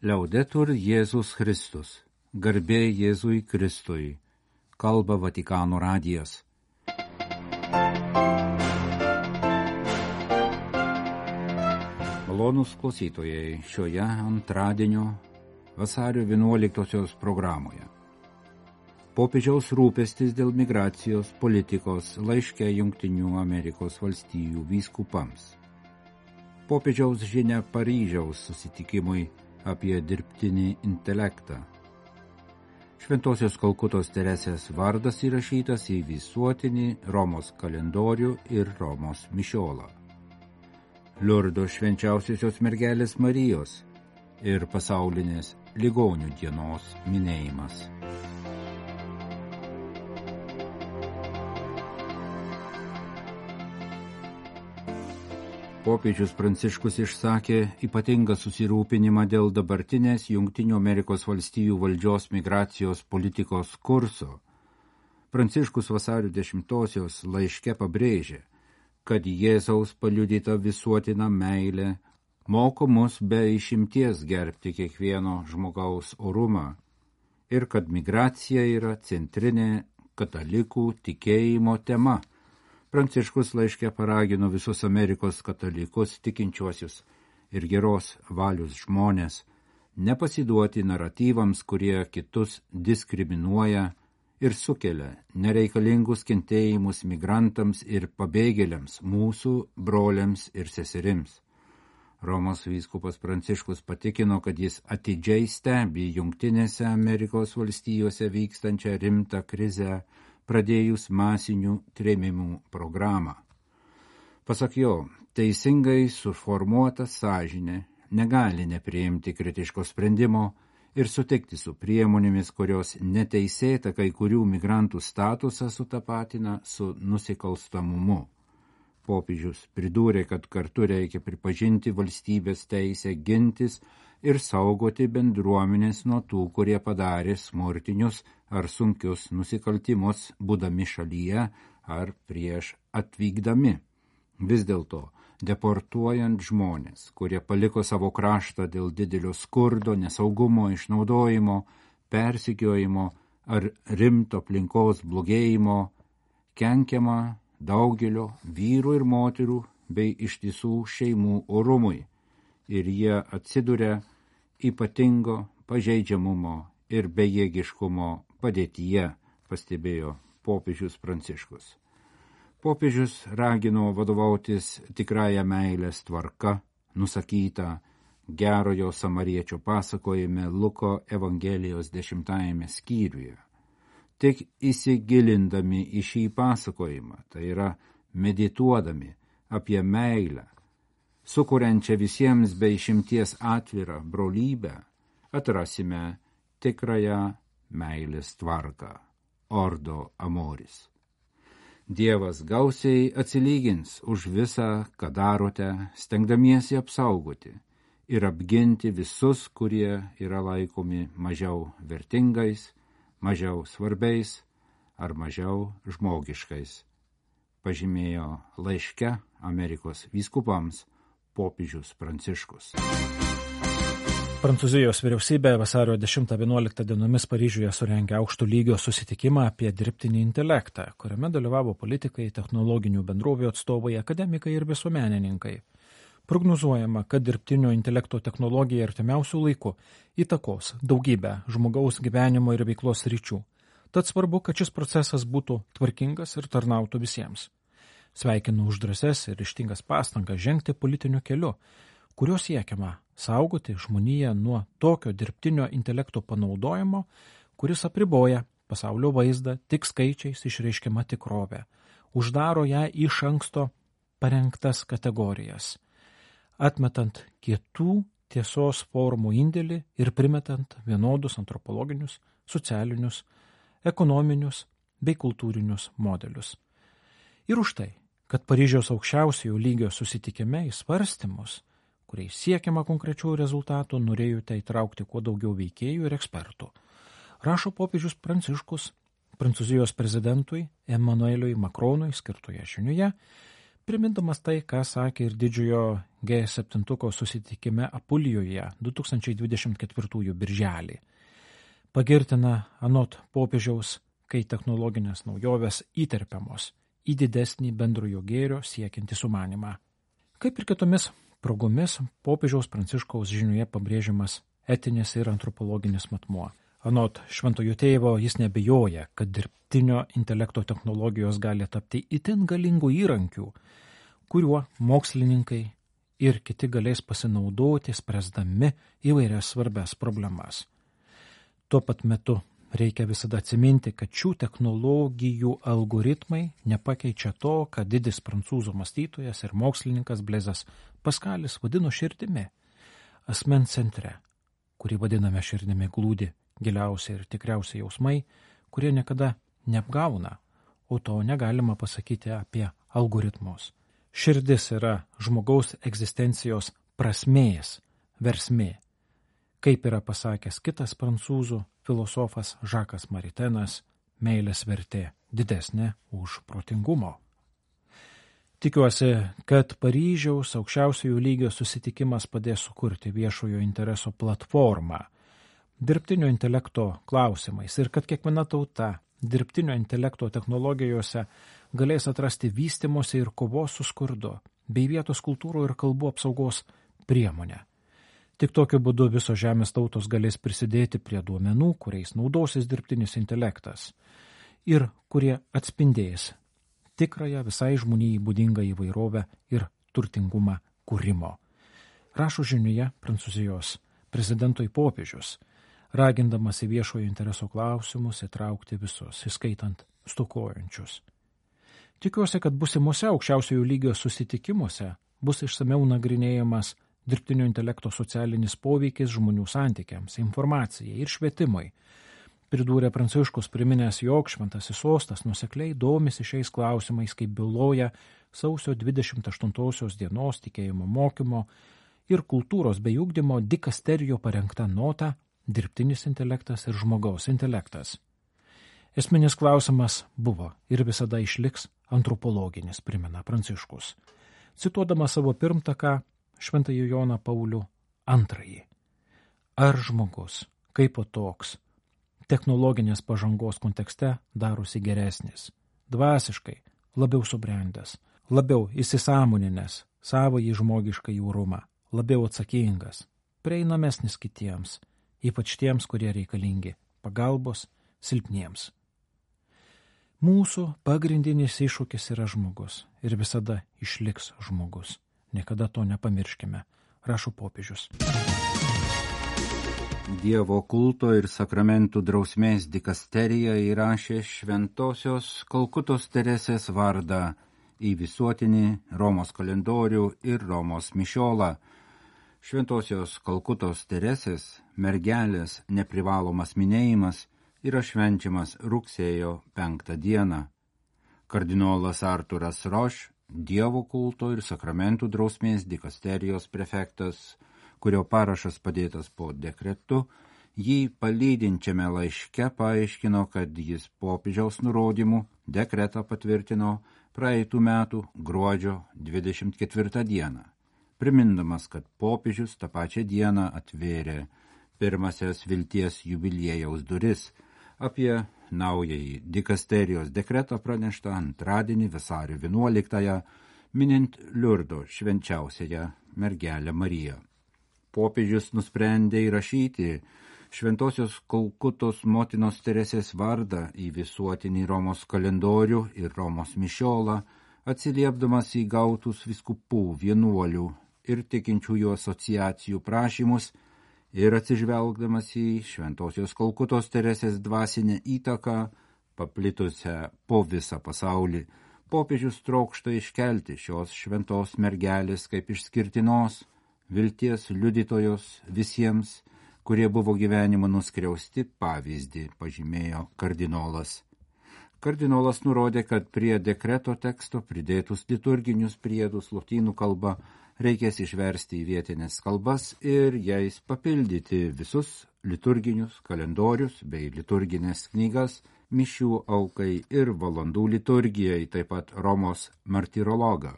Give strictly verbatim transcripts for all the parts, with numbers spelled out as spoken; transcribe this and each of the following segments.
Liaudetur Jėzus Kristus, garbė Jėzui Kristui, kalba Vatikano radijas. Malonūs klausytojai šioje antradienio vasario vienuoliktosios programoje. Popiežiaus rūpestis dėl migracijos politikos laiške Jungtinių Amerikos valstijų vyskupams. Popiežiaus žinia Paryžiaus susitikimui apie dirbtinį intelektą. Šventosios Kalkutos Teresės vardas įrašytas į visuotinį Romos kalendorių ir Romos mišiolą. Liurdo švenčiausiosios mergelės Marijos ir pasaulinės ligonių dienos minėjimas. Popiežius Pranciškus išsakė ypatingą susirūpinimą dėl dabartinės Jungtinių Amerikos valstijų valdžios migracijos politikos kurso. Pranciškus vasario dešimtosios laiške pabrėžė, kad Jėzaus paliudyta visuotina meilė moko mus be išimties gerbti kiekvieno žmogaus orumą ir kad migracija yra centrinė katalikų tikėjimo tema. Pranciškus laiške paragino visus Amerikos katalikus, tikinčiuosius ir geros valios žmonės nepasiduoti naratyvams, kurie kitus diskriminuoja ir sukelia nereikalingus kentėjimus migrantams ir pabėgėliams, mūsų broliams ir seserims. Romos vyskupas Pranciškus patikino, kad jis atidžiai stebi Jungtinėse Amerikos valstijose vykstančią rimtą krizę, pradėjus masinių trėmimų programą. Pasak jo, teisingai suformuota sąžinė negali nepriimti kritiško sprendimo ir sutikti su priemonėmis, kurios neteisėta kai kurių migrantų statusą sutapatina su nusikalstamumu. Popiežius pridūrė, kad kartu reikia pripažinti valstybės teisę gintis ir saugoti bendruomenės nuo tų, kurie padarė smurtinius ar sunkius nusikaltimus, būdami šalyje ar prieš atvykdami. Vis dėlto, deportuojant žmonės, kurie paliko savo kraštą dėl didelio skurdo, nesaugumo, išnaudojimo, persekiojimo ar rimto aplinkos blogėjimo, kenkiama daugelio vyrų ir moterų bei ištisų šeimų orumui, ir jie atsiduria ypatingo pažeidžiamumo ir bejėgiškumo padėtyje, pastebėjo popiežius Pranciškus. Popiežius ragino vadovautis tikrąją meilės tvarka, nusakyta gerojo samariečio pasakojime Luko Evangelijos dešimtajame skyriuje. Tik įsigilindami į šį pasakojimą, tai yra medituodami apie meilę, sukuriančią visiems be išimties atvirą brolybę, atrasime tikrąją meilės tvarką, ordo amoris. Dievas gausiai atsilygins už visą, ką darote, stengdamiesi apsaugoti ir apginti visus, kurie yra laikomi mažiau vertingais, mažiau svarbiais ar mažiau žmogiškais, pažymėjo laiške Amerikos vyskupams popiežius Pranciškus. Prancūzijos vyriausybė vasario dešimtą vienuoliktą dienomis Paryžiuje surengė aukšto lygio susitikimą apie dirbtinį intelektą, kuriame dalyvavo politikai, technologinių bendrovių atstovai, akademikai ir visuomenininkai. Prognozuojama, kad dirbtinio intelekto technologija artimiausių laikų įtakos daugybę žmogaus gyvenimo ir veiklos sričių. Tad svarbu, kad šis procesas būtų tvarkingas ir tarnautų visiems. Sveikinu už drąsias ir ryžtingas pastangas žengti politiniu keliu, kurio siekiama saugoti žmoniją nuo tokio dirbtinio intelekto panaudojimo, kuris apriboja pasaulio vaizdą tik skaičiais išreiškiama tikrovė, uždaro ją iš anksto parengtas kategorijas, atmetant kitų tiesos formų indėlį ir primetant vienodus antropologinius, socialinius, ekonominius bei kultūrinius modelius. Ir už tai, kad Paryžiaus aukščiausiojo lygio susitikime į svarstymus, kuriais siekiama konkrečių rezultatų, norėjote įtraukti kuo daugiau veikėjų ir ekspertų. Rašo popiežius Pranciškus Prancūzijos prezidentui Emmanueliui Macronui skirtoje žinioje, primindamas tai, ką sakė ir didžiojo G septyni susitikime Apulijoje du tūkstančiai dvidešimt ketvirtųjų birželį. Pagirtina anot popiežiaus, kai technologinės naujovės įterpiamos į didesnį bendrojo gėrio siekiantį sumanimą. Kaip ir kitomis progomis, popiežiaus Pranciškaus žinioje pabrėžiamas etinis ir antropologinis matmuo. Anot šventojo tėvo, jis nebejoja, kad dirbtinio intelekto technologijos gali tapti itin galingų įrankių, kuriuo mokslininkai ir kiti galės pasinaudoti, spręsdami įvairias svarbias problemas. Tuo pat metu reikia visada atsiminti, kad šių technologijų algoritmai nepakeičia to, ką didis prancūzų mąstytojas ir mokslininkas Blezas Paskalis vadino širdimi, asmens centre, kurį vadiname širdimi, glūdi giliausiai ir tikriausiai jausmai, kurie niekada neapgauna, o to negalima pasakyti apie algoritmus. Širdis yra žmogaus egzistencijos prasmės versmė, kaip yra pasakęs kitas prancūzų filosofas Žakas Maritenas, meilės vertė didesnė už protingumo. Tikiuosi, kad Paryžiaus aukščiausiojo lygio susitikimas padės sukurti viešojo intereso platformą dirbtinio intelekto klausimais ir kad kiekviena tauta dirbtinio intelekto technologijose galės atrasti vystimosi ir kovos su skurdu bei vietos kultūrų ir kalbų apsaugos priemonę. Tik tokiu būdu visos žemės tautos galės prisidėti prie duomenų, kuriais naudosis dirbtinis intelektas ir kurie atspindės tikrąją visai žmonijai būdingą įvairovę ir turtingumą kūrimo. Rašo žinioje Prancūzijos prezidentui popiežius, ragindamas į viešojo intereso klausimus įtraukti visus, įskaitant stokojančius. Tikiuosi, kad busimuose aukščiausiojo lygio susitikimuose bus išsamiau nagrinėjamas dirbtinio intelekto socialinis poveikis žmonių santykiams, informacijai ir švietimui. Pridūrė Pranciškus, priminęs, jog šventasis sostas nuosekliai domisi šiais klausimais, kaip byloja sausio dvidešimt aštuntosios dienos tikėjimo mokymo ir kultūros bei ugdymo dikasterijo parengta nota Dirbtinis intelektas ir žmogaus intelektas. Esminis klausimas buvo ir visada išliks antropologinis, primena Pranciškus, cituodamas savo pirmtaką Šventąjį Joną Paulių antrąjį. Ar žmogus, kaip toks, technologinės pažangos kontekste darosi geresnis, dvasiškai labiau subrendęs, labiau įsisąmoninęs savąjį žmogišką jūrumą, labiau atsakingas, prieinamesnis kitiems, ypač tiems, kurie reikalingi pagalbos silpniems. Mūsų pagrindinis iššūkis yra žmogus ir visada išliks žmogus. Niekada to nepamirškime, rašo popiežius. Dievo kulto ir sakramentų drausmės dikasterija įrašė šventosios Kalkutos Teresės vardą į visuotinį Romos kalendorių ir Romos mišiolą. Šventosios Kalkutos Teresės mergelės neprivalomas minėjimas yra švenčiamas rugsėjo penktą dieną. Kardinolas Arturas Roš, Dievo kulto ir sakramentų drausmės dikasterijos prefektas, kurio parašas padėtas po dekretu, jį palydinčiame laiške paaiškino, kad jis popiežiaus nurodymų dekretą patvirtino praeitų metų gruodžio dvidešimt ketvirtą dieną, primindamas, kad popiežius tą pačią dieną atvėrė pirmasias vilties jubiliejaus duris. Apie naująjį dikasterijos dekretą pranešta antradienį vasario vienuoliktąją, minint Liurdo švenčiausiąją mergelę Mariją. Popiežius nusprendė įrašyti šventosios Kalkutos motinos Teresės vardą į visuotinį Romos kalendorių ir Romos mišiolą, atsiliepdamas į gautus vyskupų, vienuolių ir tikinčiųjų asociacijų prašymus ir atsižvelgdamas į šventosios Kalkutos Teresės dvasinę įtaką, paplitusią po visą pasaulį, popiežius trokšta iškelti šios šventos mergelės kaip išskirtinos vilties liudytojos visiems, kurie buvo gyvenimo nuskriausti pavyzdį, pažymėjo kardinolas. Kardinolas nurodė, kad prie dekreto teksto pridėtus liturginius priedus lotynų kalba reikės išversti į vietinės kalbas ir jais papildyti visus liturginius kalendorius bei liturginės knygas, mišių aukai ir valandų liturgijai, taip pat Romos martirologą,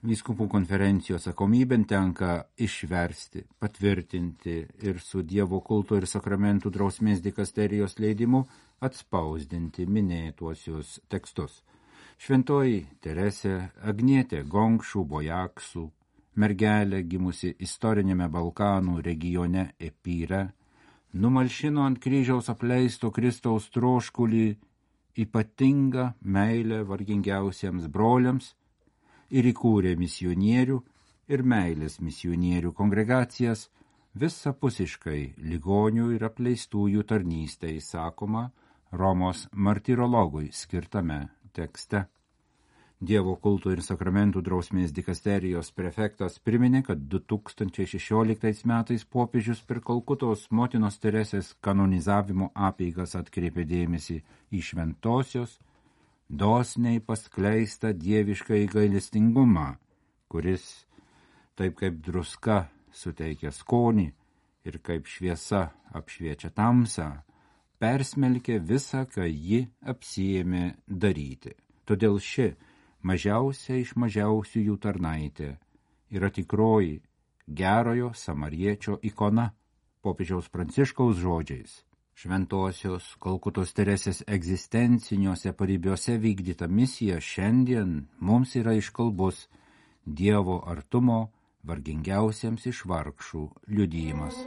Vyskupų konferencijos atsakomybėn tenka išversti, patvirtinti ir su Dievo kulto ir sakramentų drausmės dikasterijos leidimu atspausdinti minėtuosius tekstus. Šventoji Teresė Agnietė Gongšų Bojaksų, mergelė gimusi istorinėme Balkanų regione Epyre, numalšino ant kryžiaus apleisto Kristaus troškulį ypatingą meilę vargingiausiems broliams ir įkūrė misionierių ir meilės misionierių kongregacijas visapusiškai ligonių ir apleistųjų tarnystei, sakoma Romos martyrologui skirtame tekste. Dievo kulto ir sakramentų drausmės dikasterijos prefektas priminė, kad du tūkstančiai šešioliktais metais popiežius per Kalkutos motinos Teresės kanonizavimo apeigas atkreipė dėmesį į šventosios, dosniai paskleistą dievišką gailestingumą, kuris, taip kaip druska suteikia skonį ir kaip šviesa apšviečia tamsą, persmelkė visą, ką ji apsiėmė daryti. Todėl ši mažiausia iš mažiausiųjų tarnaitė yra tikroji gerojo samariečio ikona, popiežiaus Pranciškaus žodžiais. Šventosios Kalkutos Teresės egzistenciniuose paribiuose vykdyta misija šiandien mums yra iškalbus Dievo artumo vargingiausiems iš vargšų liudijimas.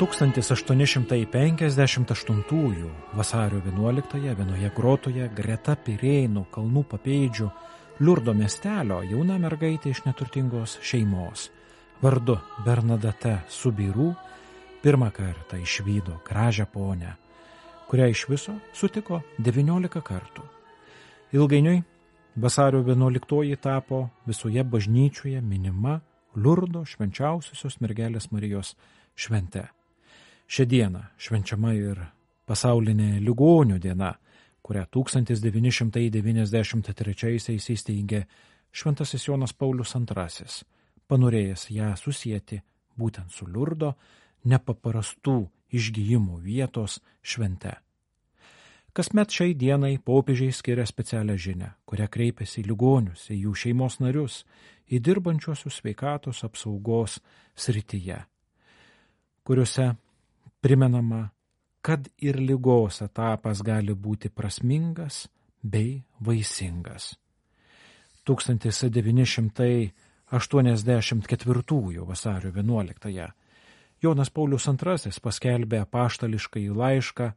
tūkstantis aštuoni šimtai penkiasdešimt aštuntųjų vasario vienuoliktąją vienoje grotoje greta Pirėnų kalnų papėdžių Liurdo miestelio jauna mergaitė iš neturtingos šeimos vardu Bernadette Subirų pirmą kartą išvydo gražią ponę, kurią iš viso sutiko devyniolika kartų. Ilgainiui vasario vienuoliktoji tapo visoje bažnyčioje minima Liurdo švenčiausiosios mergelės Marijos švente. Šią dieną švenčiama ir pasaulinė ligonių diena, kurią tūkstantis devyni šimtai devyniasdešimt trečiaisiais įsteigė Šventasis Jonas Paulius antrasis, panorėjęs ją susieti būtent su Liurdo nepaprastų išgijimų vietos švente. Kasmet šiai dienai popiežiai skiria specialią žinią, kurią kreipiasi į ligonius, į jų šeimos narius, į dirbančiuosius sveikatos apsaugos srityje, kuriuose primenama, kad ir ligos etapas gali būti prasmingas bei vaisingas. tūkstantis devyni šimtai aštuoniasdešimt ketvirtųjų vasario vienuoliktąją Jonas Paulius antrasis paskelbė apaštališkąjį laišką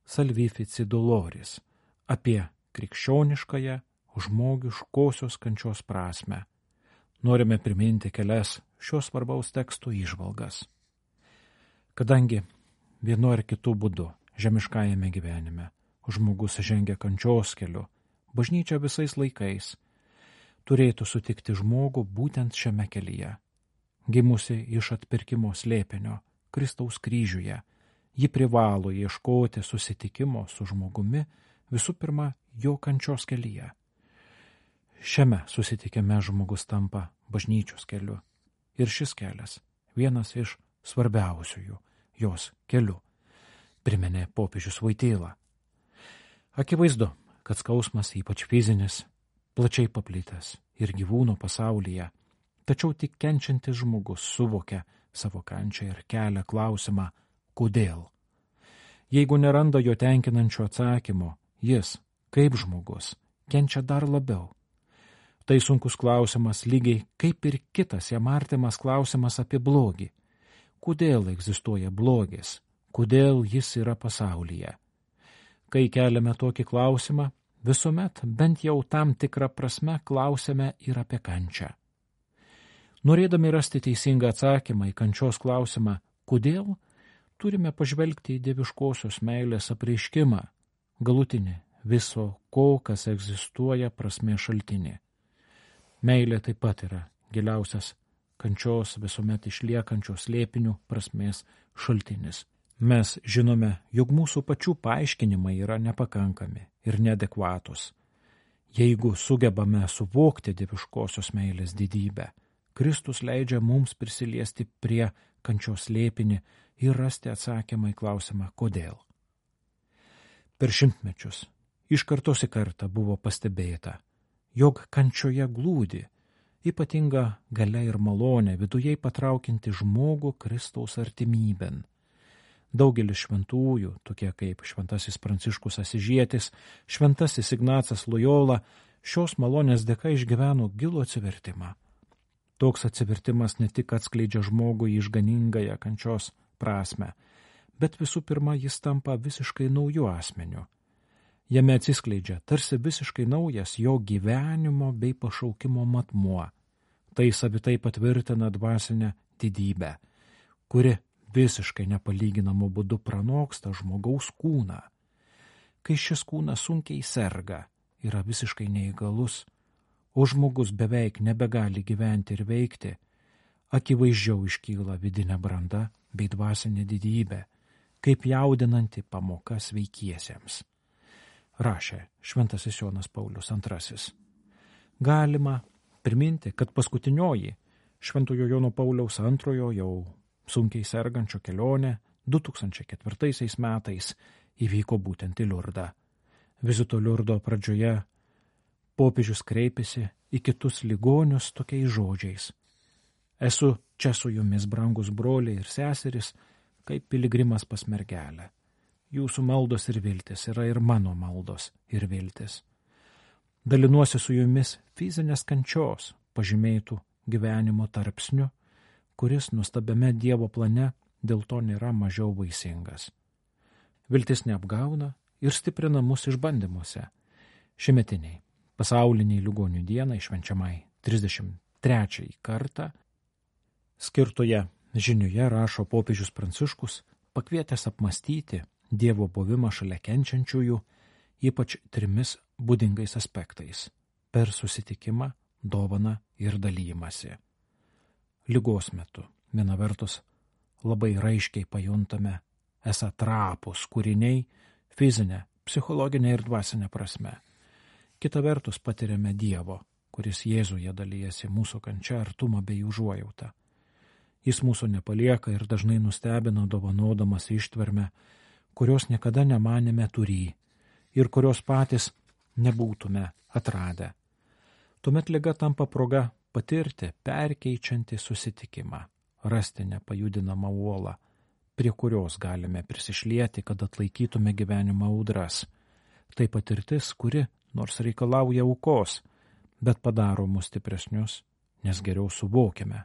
Salvifici Doloris apie krikščioniškąją žmogiškosios kančios prasmę. Norime priminti kelias šios svarbaus teksto įžvalgas. Kadangi vienu ar kitu būdu žemiškajame gyvenime žmogus žengia kančios keliu, bažnyčia visais laikais turėtų sutikti žmogų būtent šiame kelyje. Gimusi iš atpirkimo slėpinio Kristaus kryžiuje, ji privalo ieškoti susitikimo su žmogumi visų pirma jo kančios kelyje. Šiame susitikime žmogus tampa bažnyčios keliu ir šis kelias vienas iš svarbiausiųjų jos keliu, priminė popiežius Voityla. Akivaizdu, kad skausmas, ypač fizinis, plačiai paplitęs ir gyvūnų pasaulyje, tačiau tik kenčiantis žmogus suvokia savo kančią ir kelia klausimą, kodėl. Jeigu neranda jo tenkinančio atsakymo, jis, kaip žmogus, kenčia dar labiau. Tai sunkus klausimas lygiai kaip ir kitas jam artimas klausimas apie blogį. Kodėl egzistuoja blogis? Kodėl jis yra pasaulyje? Kai keliame tokį klausimą, visuomet bent jau tam tikrą prasme klausiame ir apie kančią. Norėdami rasti teisingą atsakymą į kančios klausimą, kodėl, turime pažvelgti į dieviškosios meilės apreiškimą, galutinį viso ko, kas egzistuoja prasmės šaltinį. Meilė taip pat yra giliausias kančios visuomet išliekančios slėpinių prasmės šaltinis. Mes žinome, jog mūsų pačių paaiškinimai yra nepakankami ir neadekvatus. Jeigu sugebame suvokti dieviškosios meilės didybę, Kristus leidžia mums prisiliesti prie kančios slėpinį ir rasti atsakymą į klausimą kodėl. Per šimtmečius iš kartos į kartą buvo pastebėta, jog kančioje glūdi ypatinga galia ir malonė viduje patraukinti žmogų Kristaus artimybėn. Daugelis šventųjų, tokie kaip šventasis Pranciškus Asižietis, šventasis Ignacas Lojola, šios malonės dėka išgyveno gilų atsivertimą. Toks atsivertimas ne tik atskleidžia žmogų į išganingąją kančios prasme, bet visų pirma jis tampa visiškai nauju asmeniu. Jame atsiskleidžia tarsi visiškai naujas jo gyvenimo bei pašaukimo matmuo. Tai savitai patvirtina dvasinę didybę, kuri visiškai nepalyginamų būdų pranoksta žmogaus kūną. Kai šis kūnas sunkiai serga, yra visiškai neįgalus, o žmogus beveik nebegali gyventi ir veikti, akivaizdžiau iškyla vidinė branda bei dvasinė didybė, kaip jaudinanti pamoka sveikiesiems. Rašė šventasis Jonas Paulius antrasis. Galima priminti, kad paskutinioji šventojo Jono Pauliaus antrojo jau sunkiai sergančio kelionė du tūkstančiai ketvirtaisiais metais įvyko būtent į Liurdą. Vizito Liurdo pradžioje popiežius kreipėsi į kitus ligonius tokiais žodžiais. Esu čia su jumis, brangus broliai ir seseris, kaip piligrimas pas mergelę. Jūsų maldos ir viltis yra ir mano maldos ir viltis. Dalinuosi su jumis fizinės kančios pažymėtų gyvenimo tarpsniu, kuris nuostabiame Dievo plane dėl to nėra mažiau vaisingas. Viltis neapgauna ir stiprina mus išbandymuose. Šimetiniai pasauliniai ligonių dienai švenčiamai trisdešimt trečiąjį kartą skirtoje žinioje rašo popiežius Pranciškus, pakvietęs apmastyti Dievo buvimą šalia kenčiančiųjų, ypač trimis būdingais aspektais – per susitikimą, dovaną ir dalymasi. Ligos metu, viena vertus, labai raiškiai pajuntame esą trapūs kūriniai fizinė, psichologinė ir dvasinė prasme. Kita vertus patiriame Dievo, kuris Jėzuje dalyjasi mūsų kančia, artumą bei užuojautą. Jis mūsų nepalieka ir dažnai nustebina dovanodamas ištvermę, kurios niekada nemanėme turį ir kurios patys nebūtume atradę. Tuomet liga tampa proga patirti perkeičiantį susitikimą, rasti nepajudinamą uolą, prie kurios galime prisišlieti, kad atlaikytume gyvenimo audras. Tai patirtis, kuri nors reikalauja aukos, bet padaro mus stipresnius, nes geriau suvokiame,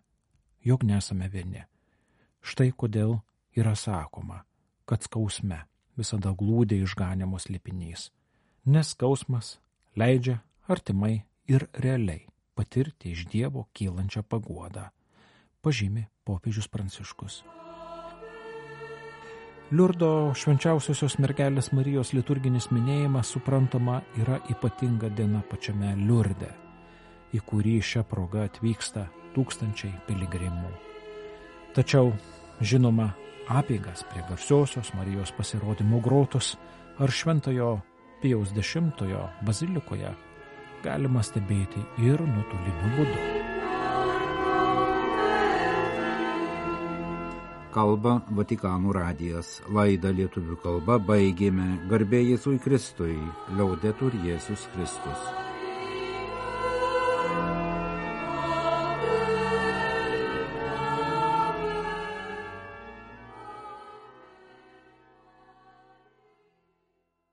jog nesame vieni. Štai kodėl yra sakoma, kad skausme visada glūdi išganimo slėpinys, nes skausmas leidžia artimai ir realiai patirti iš Dievo kylančią paguodą, pažymi popiežius Pranciškus. Liurdo švenčiausiosios mergelės Marijos liturginis minėjimas, suprantama, yra ypatinga diena pačiame Liurde, į kurį šią progą atvyksta tūkstančiai piligrimų. Tačiau, žinoma, apeigas prie garsiosios Marijos pasirodymo grotos ar šventojo Pijaus dešimtojo bazilikoje galima stebėti ir nuotoliniu būdu. Kalba Vatikano radijas. Laidą lietuvių kalba baigėme. Garbė Jėzui Kristui. Liaudetur Jėzus Kristus.